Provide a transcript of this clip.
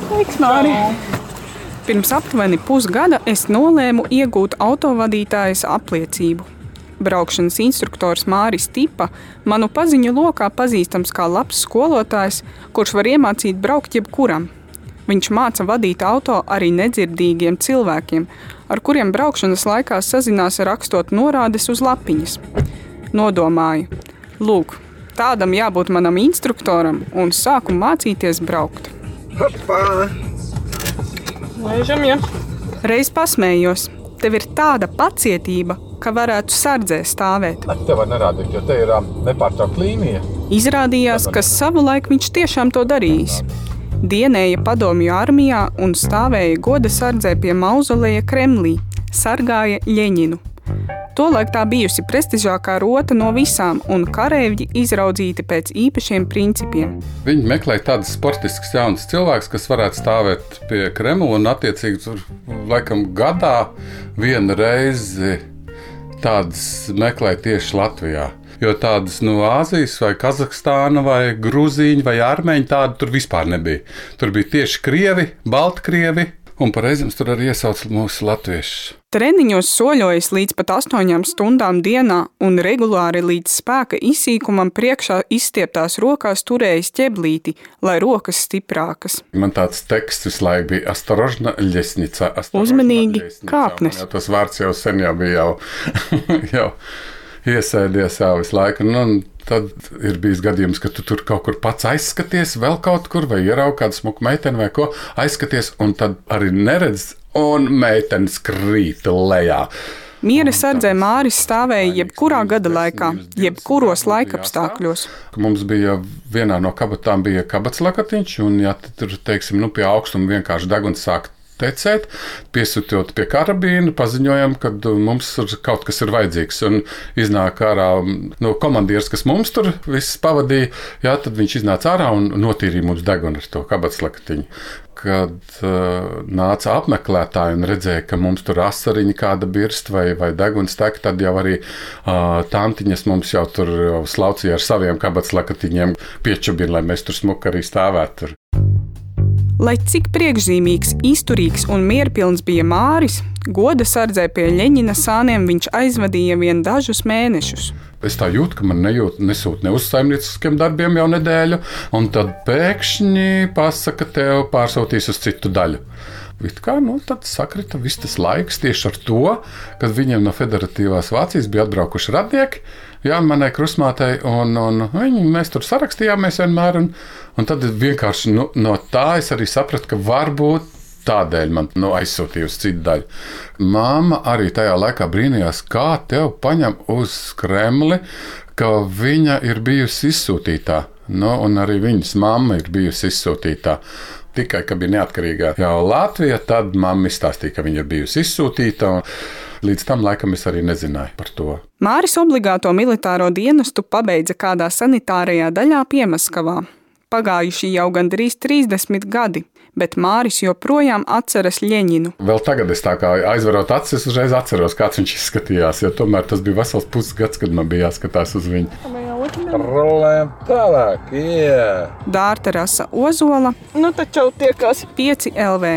Sveiks, Māri! Pirms aptuveni pusgada es nolēmu iegūt autovadītājas apliecību. Braukšanas instruktors Māris Tipa manu paziņu lokā pazīstams kā labs skolotājs, kurš var iemācīt braukt jebkuram. Viņš māca vadīt auto arī nedzirdīgiem cilvēkiem, ar kuriem braukšanas laikā sazinās rakstot norādes uz lapiņas. Nodomāju, lūk, tādam jābūt manam instruktoram un sāku mācīties braukt. Hopā! Laižam, ja. Reiz pasmējos, tev ir tāda pacietība, ka varētu sardzē stāvēt. Te var nerādīt, jo te ir nepārtraukt līnija. Izrādījās, ka savulaik viņš tiešām to darījis. Dienēja padomju armijā un stāvēja goda sardzē pie mauzoleja Kremlī, sargāja Ļeņinu. Tolaik tā bijusi prestižākā rota no visām un kareivģi izraudzīti pēc īpašiem principiem. Viņi meklēja tādus sportiskus jaunus cilvēkus, kas varētu stāvēt pie Kremla un attiecīgi tur laikam gadā vienu reizi tādas meklēja tieši Latvijā. Jo tādas no Āzijas vai Kazahstāna vai Grūzīņa vai Armēņa tādu tur vispār nebija. Tur bija tieši krievi, baltkrievi un par reizēm tur arī iesauca mūsu latviešus. Treniņos soļojas līdz pat 8 stundām dienā un regulāri līdz spēka izsīkumam priekšā izstieptās rokās turējas ķeblīti, lai rokas stiprākas. Man tāds teksts visu laiku bija Astrožna ļesnica. Uzmanīgi kāpnes. Tas vārds jau sen jau bija jau iesēdies jau visu laiku. Un tad ir bijis gadījums, ka tu tur kaut kur pats aizskaties vēl kaut kur vai ieraugi kādu smuku meiteni vai ko, aizskaties un tad arī neredz un meitenes krīt lejā. Miera sardzē Māris stāvēja jebkurā gada laikā, jebkuros laikapstākļos. Mums bija vienā no kabatām bija kabatslakatiņš, un ja tur, teiksim, pie augstuma vienkārši deguns sāk tecēt, piesūtot pie karabīna, paziņojam, ka mums kaut kas ir vajadzīgs. Un iznāk ārā komandieris, kas mums tur viss pavadīja, tad viņš iznāca ārā un notīrīja mums degunu ar to kabatslakatiņu. Kad nāca apmeklētāji un redzēja, ka mums tur asariņa kāda birst vai deguns tek, tad jau arī tantiņas mums jau tur slaucīja ar saviem kabatslakatiņiem piečubina, lai mēs tur smuki arī stāvētu. Lai cik priekšzīmīgs, izturīgs un mierpilns bija Māris, goda sardzē pie Ļeņina sāniem viņš aizvadīja vien dažus mēnešus. Es tā jūtu, ka man nesūt ne uz saimnieciskiem darbiem jau nedēļu, un tad pēkšņi pasaka, tev pārsūtīs uz citu daļu. Tad sakrita viss tas laiks tieši ar to, kad viņiem no Federatīvās Vācijas bija atbraukuši radnieki, manai krustmātei, un mēs tur sarakstījāmies vienmēr, un tad vienkārši no tā es arī sapratu, ka varbūt tādēļ man aizsūtīja uz citu daļu. Māma arī tajā laikā brīnījās, kā tev paņem uz Kremli, ka viņa ir bijusi izsūtītā. Un arī viņas mamma ir bijusi izsūtītā. Tikai, ka bija neatkarīgā jau Latvija, tad mamma izstāstīja, ka viņa ir bijusi izsūtīta. Līdz tam laikam es arī nezināju par to. Māris obligāto militāro dienestu pabeidza kādā sanitārajā daļā Piemaskavā. Pagājuši jau gandrīz 30 gadi, bet Māris joprojām atceras Ļeņinu. Vēl tagad es tā kā aizverot acis, uzreiz atceros, kāds viņš izskatījās, jo tomēr tas bija vesels pusgads, kad man bija jāskatās uz viņu. Rolējam tālāk, Dārta Rasa Ozola, taču tiekās 5 LV.